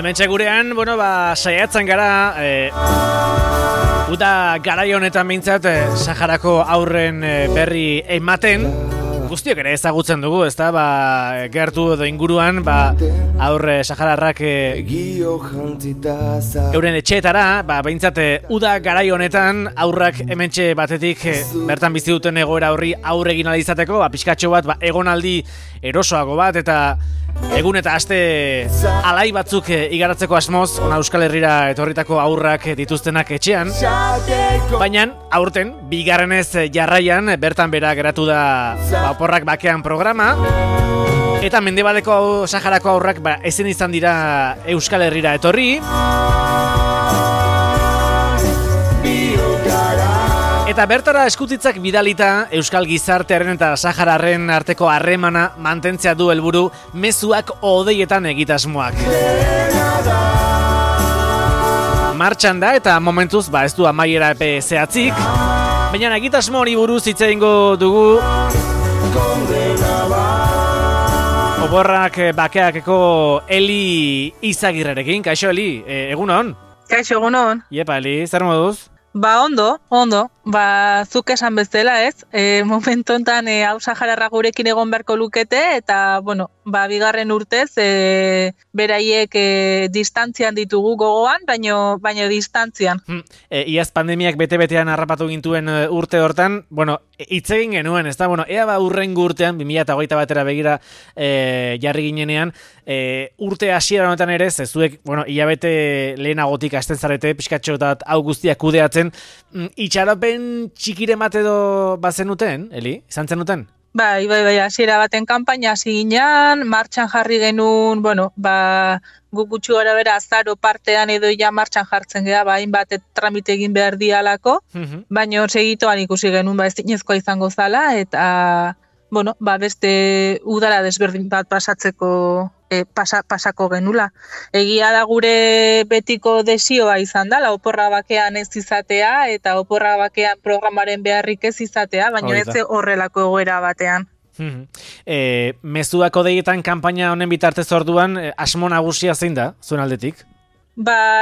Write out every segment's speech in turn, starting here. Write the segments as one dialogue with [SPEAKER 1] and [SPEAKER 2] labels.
[SPEAKER 1] Hementxe gurean, saiatzen gara, uda garai honetan behintzat, Saharako haurren berri ematen, guztiok ere ezagutzen dugu, ezta, gertu edo inguruan, aurre sahararrak euren etxeetara, behintzat uda garai honetan aurrak hementxe batetik bertan bizi duten egoera horri aurre egin ahal izateko, pixkatxo bat, egonaldi erosoago bat, eta egun eta aste alai batzuk igaratzeko asmoz, ona Euskal Herrira etorritako aurrak dituztenak etxean, baina aurten, bigarrenez jarraian, bertan bera geratu da Oporrak bakean programa, eta mendebaldeko Saharako aurrak ezin izan dira Euskal Herrira etorri, eta bertara eskutitzak bidalita Euskal gizartearen eta Sahararren arteko harremana mantentzea du helburu mezuak odeietan egitasmoak. Martxan da eta momentuz ez du amaiera epe zehatzik, baina egitasmo hori buruz hitz egingo dugu Oporrak bakeakeko Eli Izagirrerekin. Kaixo Eli, egunon?
[SPEAKER 2] Kaixo, egunon.
[SPEAKER 1] Iepa Eli, zer moduz?
[SPEAKER 2] Ondo. Zuk esan bezala, ez? Momentu enten hau Sahararra gurekin egon beharko lukete, eta, bigarren urtez, beraiek distantzian ditugu gogoan, baino distantzian.
[SPEAKER 1] Iaz pandemiak bete-betean harrapatu gintuen urte hortan, hitz egin genuen, ez da? Ea urrengo urtean, 2021 batera begira jarri ginenean, urte hasiera honetan ere, zuek, hilabete lehenagotik hasten zarete, pixkatxo eta hau guztiak kudeatzen, itxaropen txikire bat edo bazenuten, Eli? Izan zenuten?
[SPEAKER 2] Bai, hasiera baten kanpaina hasi ginean, martxan jarri genuen, guk gutxi gara bera azaro partean edo ja martxan jartzen geha, hainbat tramite egin behar dialako, baina segitoan ikusi genuen, ez dinezkoa izango zala, eta, beste udara desberdin bat pasatzeko pasako genula. Egia da gure betiko desioa izan da, oporra bakean ez izatea eta oporra bakean programaren beharrik ez izatea, baina ez horrelako egoera batean.
[SPEAKER 1] Mezuak odeietan kanpaina honen bitartez orduan, asmo nagusia zein da, zuen aldetik?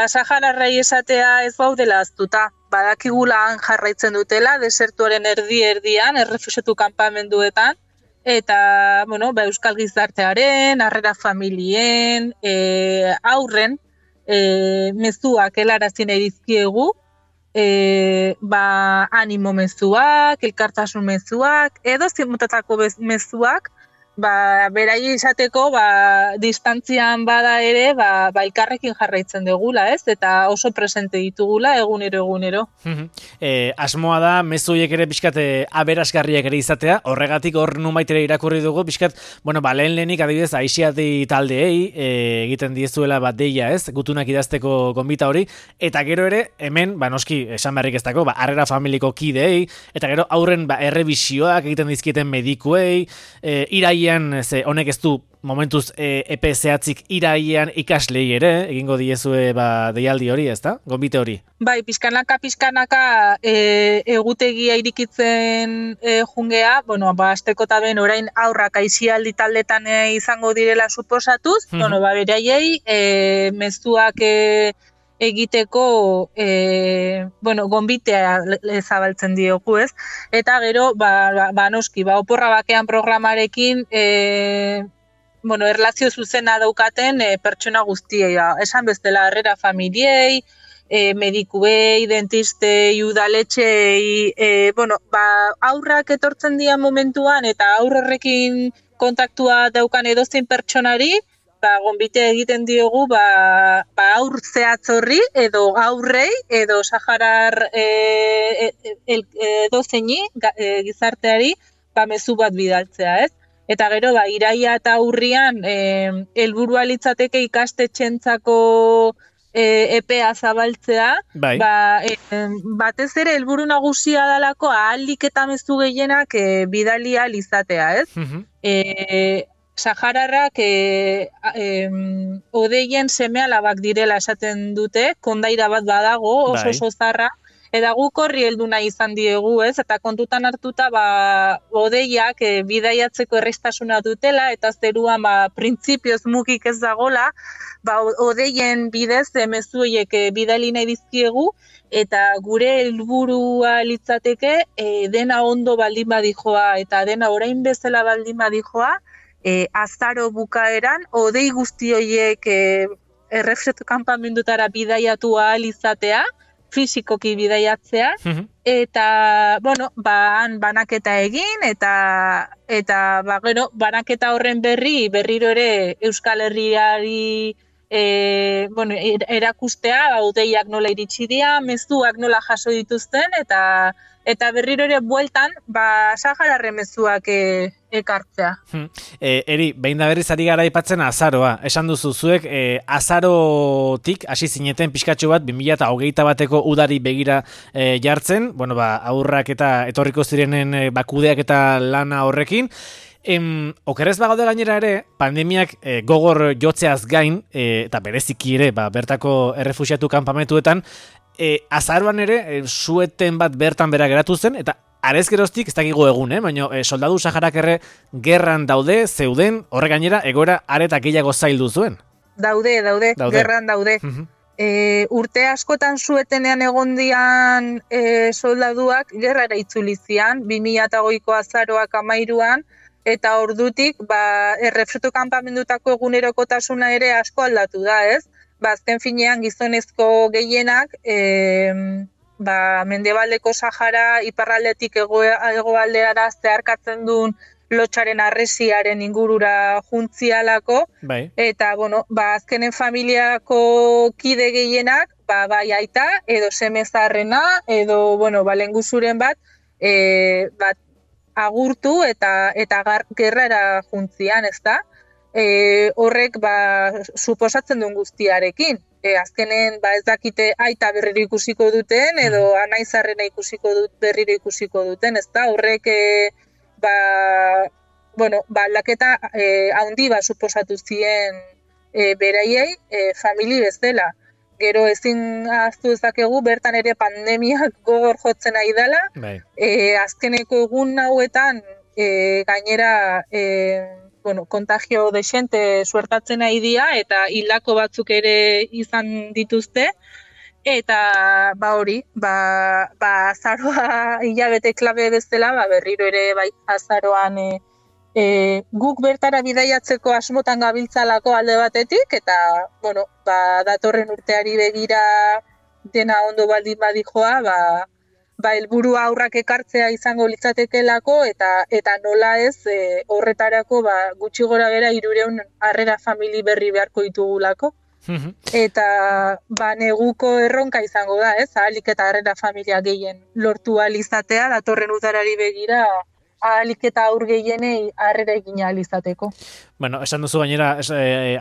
[SPEAKER 2] Sahararrei esatea ez gaudela aztuta. Badakigulan jarraitzen dutela, desertuaren erdian, errefuxiatu kanpamenduetan, eta, Euskal gizartearen, harrera familien, aurren, mezuak helarazin erizkiegu, animo mezuak, elkartasun mezuak, edo zimutatako mezuak, berai izateko, distantzian bada ere, elkarrekin jarraitzen dugula, ez? Eta oso presente ditugula egunero.
[SPEAKER 1] Asmoa da, mezuiek ere pixkat aberasgarriak ere izatea, horregatik hor nunbait ere irakurri dugu, pixkat, lehenik adibidez, aixiati taldeei egiten diezuela deia, ez? Gutunak idazteko gonbita hori, eta gero ere, hemen, noski, esan beharrik ez dako, harrera familiko kideei, eta gero aurren errebisioak egiten dizkieten medikuei, iraian, honek ez du momentuz epe zehatzik iraian ikaslei ere, egingo diezue deialdi hori, ez da? Gonbite hori.
[SPEAKER 2] Bai, pizkanaka egutegia irikitzen jungea, azteko eta ben orain aurrak aixialdi taldetan izango direla suposatuz, beraiei mezuak egiteko, gonbitea zabaltzen diogu, ez? Eta gero, noski, oporra bakean programarekin, erlazio zuzena daukaten pertsona guztiei, esan bestela harrera familiei, medikuei, dentistei, udaletxei, aurrak etortzen dian momentuan eta aurrekin kontaktua daukan edozein pertsonari, gonbite egiten diogu aur zehatzorri edo aurrei edo Saharar edozeini gizarteari mezu bat bidaltzea, ez? Eta gero, iraia eta urrian helburua litzateke ikastetxentzako epea zabaltzea, batez ere helburu nagusia dalako ahalik eta mezu gehienak bidali ahal izatea, ez? Sahararrak odeien seme alabak direla esaten dute, kondaira bat badago, oso zarra, Eta guk horri heldu nahi izan diegu, ez? Eta kontutan hartuta, hodeiak bidaiatzeko errestasuna dutela, eta zeruan printzipioz mugik ez dagola, hodeien bidez mezu horiek bidali nahi dizkiegu, eta gure helburua litzateke dena ondo baldin badijoa, eta dena orain bezala baldin badijoa, azaro bukaeran, hodei guzti horiek errefretu kanpamendutara bidaiatu ahal izatea, fisikoki bidaiatzea, eta, han banaketa egin, eta banaketa horren berriro ere Euskal Herriari erakustea, hodeiak nola iritsi dira, mezuak nola jaso dituzten, eta berriro ere bueltan, Sahararren mezuak ekartzea.
[SPEAKER 1] Eri, behin da berriz ari gara aipatzen azaroa. Esan duzu zuek, azarotik hasi zineten pixkatxo bat 2021 bateko udari begira jartzen, aurrak eta etorriko zirenen kudeak eta lana horrekin. Okerrez bagaude gainera ere, pandemiak gogor jotzeaz gain, eta bereziki ere, bertako errefuxiatu kanpamentuetan, azaroan ere, sueten bat bertan bera geratu zen, eta arez geroztik, ez dakigu egun, baina soldadu Saharak erre gerran zeuden, horre gainera, egoera areta gehiago zaildu zuen.
[SPEAKER 2] Daude, gerran daude. Urte askotan suetenean egondian soldaduak gerrara itzulizian, 2008ko azaroak 13an, eta ordutik, errefretu kanpamendutako egunerokotasuna ere asko aldatu da, ez? Azken finean gizonezko gehienak, Mendebaldeko Sahara iparraldetik hegoaldeara zeharkatzen duen lotxaren arresiaren ingurura juntzialako, eta, azkenen familiako kide gehienak, bai aita, edo semezarrena, edo, lenguzuren bat, agurtu eta gerrara juntzian, ez da? Horrek suposatzen duen guztiarekin. Azkenen ez dakite aita berriro ikusiko duten edo anaizarrena berriro ikusiko duten, ez da? Horrek aldaketa handi suposatu zien beraiei famili bezala. Gero ezin ahaztu dezakegu bertan ere pandemiak gogor jotzen ari dela. Azkeneko egun hauetan gainera kontagio desente suertatzen ari dira eta hildako batzuk ere izan dituzte. Eta azaroa hilabete klabe bezala, berriro ere azaroan guk bertara bidaiatzeko asmotan gabiltzalako alde batetik, eta datorren urteari begira dena ondo baldin badijoa, helburua aurrak ekartzea izango litzatekelako, eta nola ez horretarako gutxi gora bera 300 harrera famili berri beharko ditugulako. Eta neguko erronka izango da, ez? Ahalik eta harrera familia gehien lortu ahal izatea, datorren udarari begira ahalik eta aur gehienei harrera egin ahal izateko.
[SPEAKER 1] Esan duzu gainera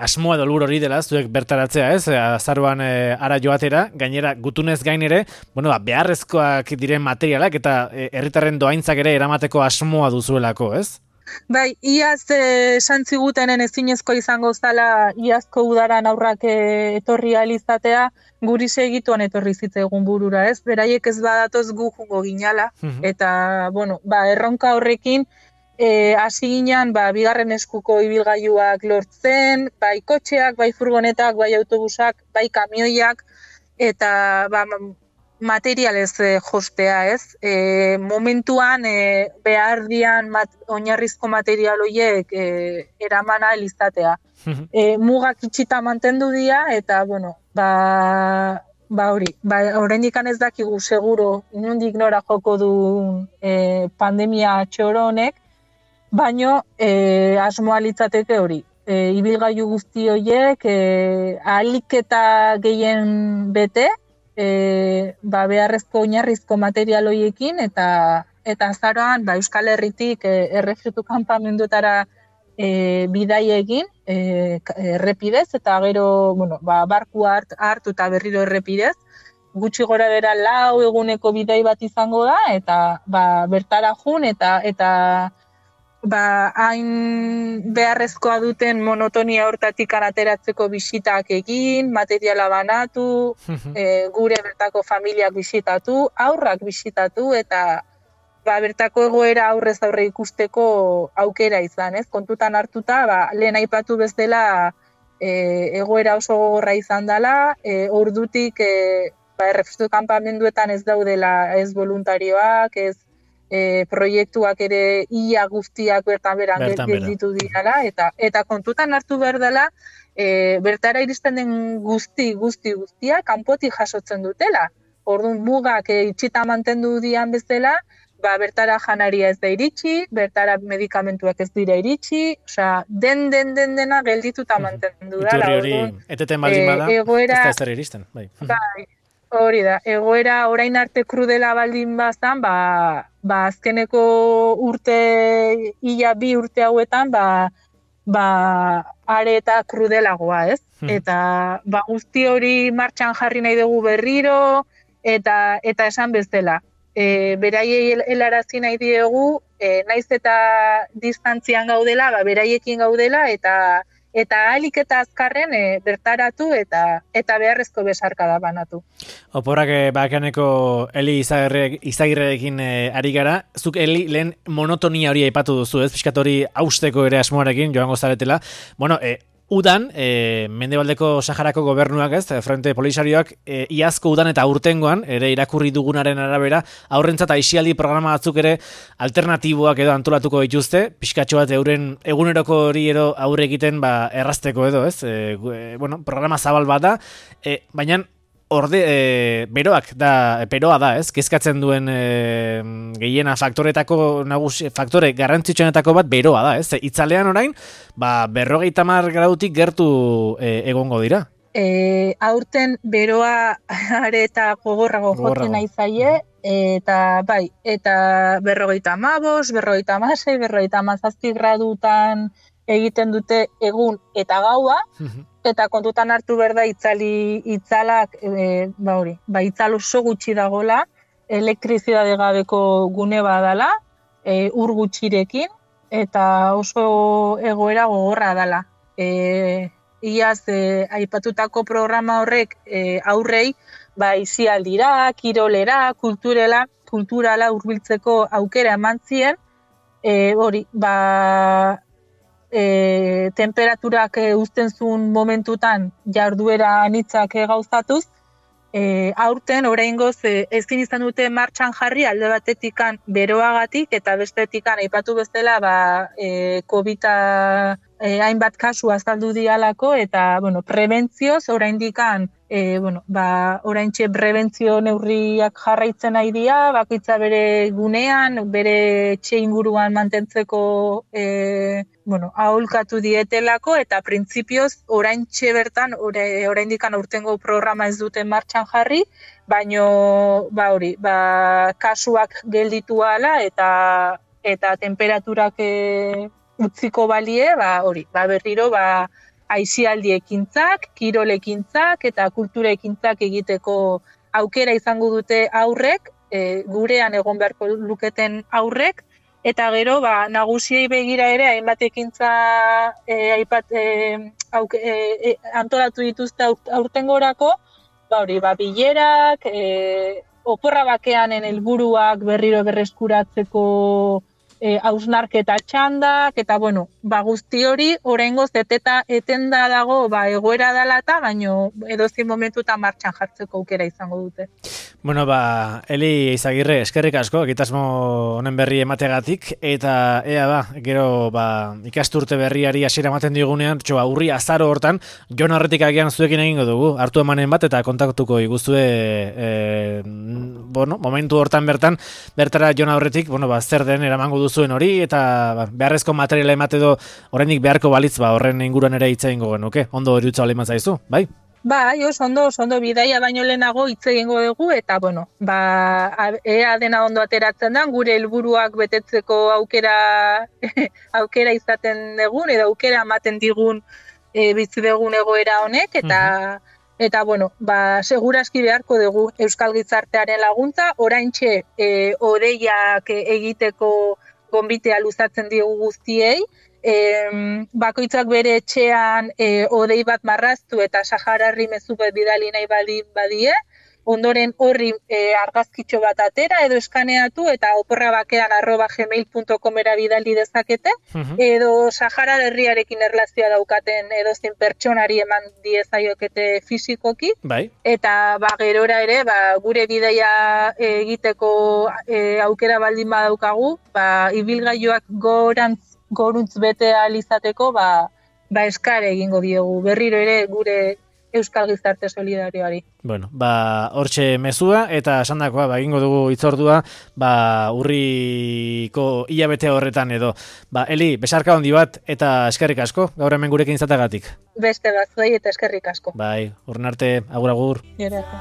[SPEAKER 1] asmoa edo helburu hori dela, zuek bertaratzea, ez? Azaroan ara joatera, gainera gutunez gain ere, beharrezkoak diren materialak eta herritarren doaintzak ere eramateko asmoa duzuelako, ez?
[SPEAKER 2] Bai, iaz esan zigutenen ezinezko izango zala iazko udaran aurrak etorri ahal izatea, guri segituan etorri zitzaigun burura, ez? Beraiek ez badatoz gu jungo ginala, eta, erronka horrekin hasi ginean, bigarren eskuko ibilgailuak lortzen, bai kotxeak, bai furgonetak, bai autobusak, bai kamioiak, eta materialez jostea, ez? Momentuan behar dian oinarrizko material horiek eraman ahal izatea. Mugak itxita mantendu dira, eta, oraindik ez dakigu seguro inondik nora joko du pandemia txoro honek, baino asmoa litzateke hori. Ibilgailu guzti horiek ahalik eta gehien bete, beharrezko oinarrizko material horiekin, eta azaroan Euskal Herritik errefuxiatu kanpamenduetara bidai egin errepidez, eta gero barkua hartu eta berriro errepidez. Gutxi gora bera 4 eguneko bidai bat izango da, eta bertara jun, eta hain beharrezkoa duten monotonia hortatik ateratzeko bisitak egin, materiala banatu, gure bertako familiak bisitatu, haurrak bisitatu, eta bertako egoera aurrez aurre ikusteko aukera izan, ez? Kontutan hartuta, lehen aipatu bezala egoera oso gogorra izan dela, ordutik errefuxiatu kanpamenduetan ez daudela ez voluntarioak, ez proiektuak ere ia guztiak bertan gelditu dirala, eta kontutan hartu behar dela, bertara iristen den guztia kanpotik jasotzen dutela. Orduan mugak itxita mantendu dian bezala, bertara janaria ez da iritsi, bertara medikamentuak ez dira iritsi, osea, dena geldituta mantendu dela.
[SPEAKER 1] Iturri hori, eteten baldin bada, ez da ez zer iristen. Bai.
[SPEAKER 2] Hori da, egoera orain arte krudela baldin bazan, azkeneko urte, ia 2 urte hauetan, are eta krudelagoa, ez? Eta guzti hori martxan jarri nahi dugu berriro, eta esan bezala. Beraiei helarazi nahi diegu, naiz eta distantzian gaudela, beraiekin gaudela, eta ahalik eta azkarren bertaratu eta beharrezko besarkada banatu.
[SPEAKER 1] Oporrak bakaneko Eli Izagirrerekin ari gara. Zuk Eli lehen monotonia hori aipatu duzu, ez? Piskat hori hausteko ere asmoarekin joango zaretela. Bueno, udan, Mendebaldeko Saharako gobernuak, ez, Frente Polisarioak, iazko udan eta urtengoan, ere irakurri dugunaren arabera, aurrentzat aisialdi programa batzuk ere alternatiboak edo antolatuko dituzte, pixkatxo bat euren eguneroko hori edo aurre egiten errazteko edo, ez, programa zabal bat da, baina beroa da, ez? Kezkatzen duen gehiena faktore garrantzitsuenetako bat beroa da, ez? Itzalean orain, 50 gradutik gertu egongo dira.
[SPEAKER 2] Aurten beroa are eta gogorrago jotzen nahi zaie, eta eta 55, 56, 57 gradutan egiten dute egun eta gaua, eta kontutan hartu behar da itzalak, itzal oso gutxi dagola, elektrizidade gabeko gune badala, ur gutxirekin, eta oso egoera gogorra dala. Iaz, aipatutako programa horrek aurrei, isialdira, kirolera, kulturala hurbiltzeko aukera eman zien, temperaturak uzten zuen momentutan jarduera anitzak gauzatuz, aurten oraingoz ezin izan dute martxan jarri alde batetikan beroagatik eta bestetikan aipatu bezala COVID-a hainbat kasu azaldu dialako eta prebentzioz oraindikan oraintxe prebentzio neurriak jarraitzen nahi dira, bakoitza bere gunean, bere etxe inguruan mantentzeko aholkatu dietelako eta printzipioz oraintxe bertan oraindikan urtengo programa ez duten martxan jarri, baino kasuak gelditu ala eta temperaturak utziko balie, berriro aisialdi ekintzak, kirol ekintzak eta kultura ekintzak egiteko aukera izango dute aurrek, gurean egon beharko luketen aurrek, eta gero nagusiei begira ere hainbat ekintza antolatu dituzte aurtengorako, bilerak, oporra bakeanen helburuak berriro berreskuratzeko hausnarketa txandak, eta guzti hori oraingoz etenda dago egoera dela eta baino edozein momentutan martxan jartzeko aukera izango dute.
[SPEAKER 1] Eli Izagirre, eskerrik asko, egitasmo honen berri emategatik, eta gero ikasturte berriari hasiera ematen digunean, urri azaro hortan, Jon Aurretik agian zuekin egingo dugu, hartu emanen bat, eta kontaktuko iguzue, momentu hortan bertara Jon Aurretik, zer den eramango duzuen hori, eta beharrezko materiala emate edo oraindik beharko balitz, horren inguruan ere hitz egingo genuke, ondo erutza oleman zaizu, bai?
[SPEAKER 2] Oso bidaia baino lehenago hitz egingo dugu, eta ea dena ondo ateratzen da, gure helburuak betetzeko aukera izaten dugun, edo aukera ematen digun bizi dugun egoera honek, eta seguraski beharko dugu Euskal Gizartearen laguntza, oraintxe odeiak egiteko gonbitea luzatzen diogu guztiei, bakoitzak bere etxean odei bat marraztu eta Sahararri mezu bat bidali nahi badie, ondoren horri argazkitxo bat atera edo eskaneatu eta oporrabakean@gmail.comera bidali dezakete, edo Sahara herriarekin erlazioa daukaten edozein pertsonari eman diezaiokete fisikoki.
[SPEAKER 1] Bai.
[SPEAKER 2] Eta gerora ere, gure bidaia egiteko aukera baldin badaukagu, ibilgailuak goruntz bete ahal izateko, eskare egingo diogu. Berriro ere gure Euskal Gizarte Solidarioari.
[SPEAKER 1] Bueno, hortxe mezua eta esandakoa egingo dugu hitzordua, urriko hilabete horretan edo. Eli, besarka handi bat eta eskerrik asko, gaur hemen gurekin izateagatik.
[SPEAKER 2] Beste bat zuei eta eskerrik asko.
[SPEAKER 1] Bai, urren arte, agur.
[SPEAKER 2] Gerako.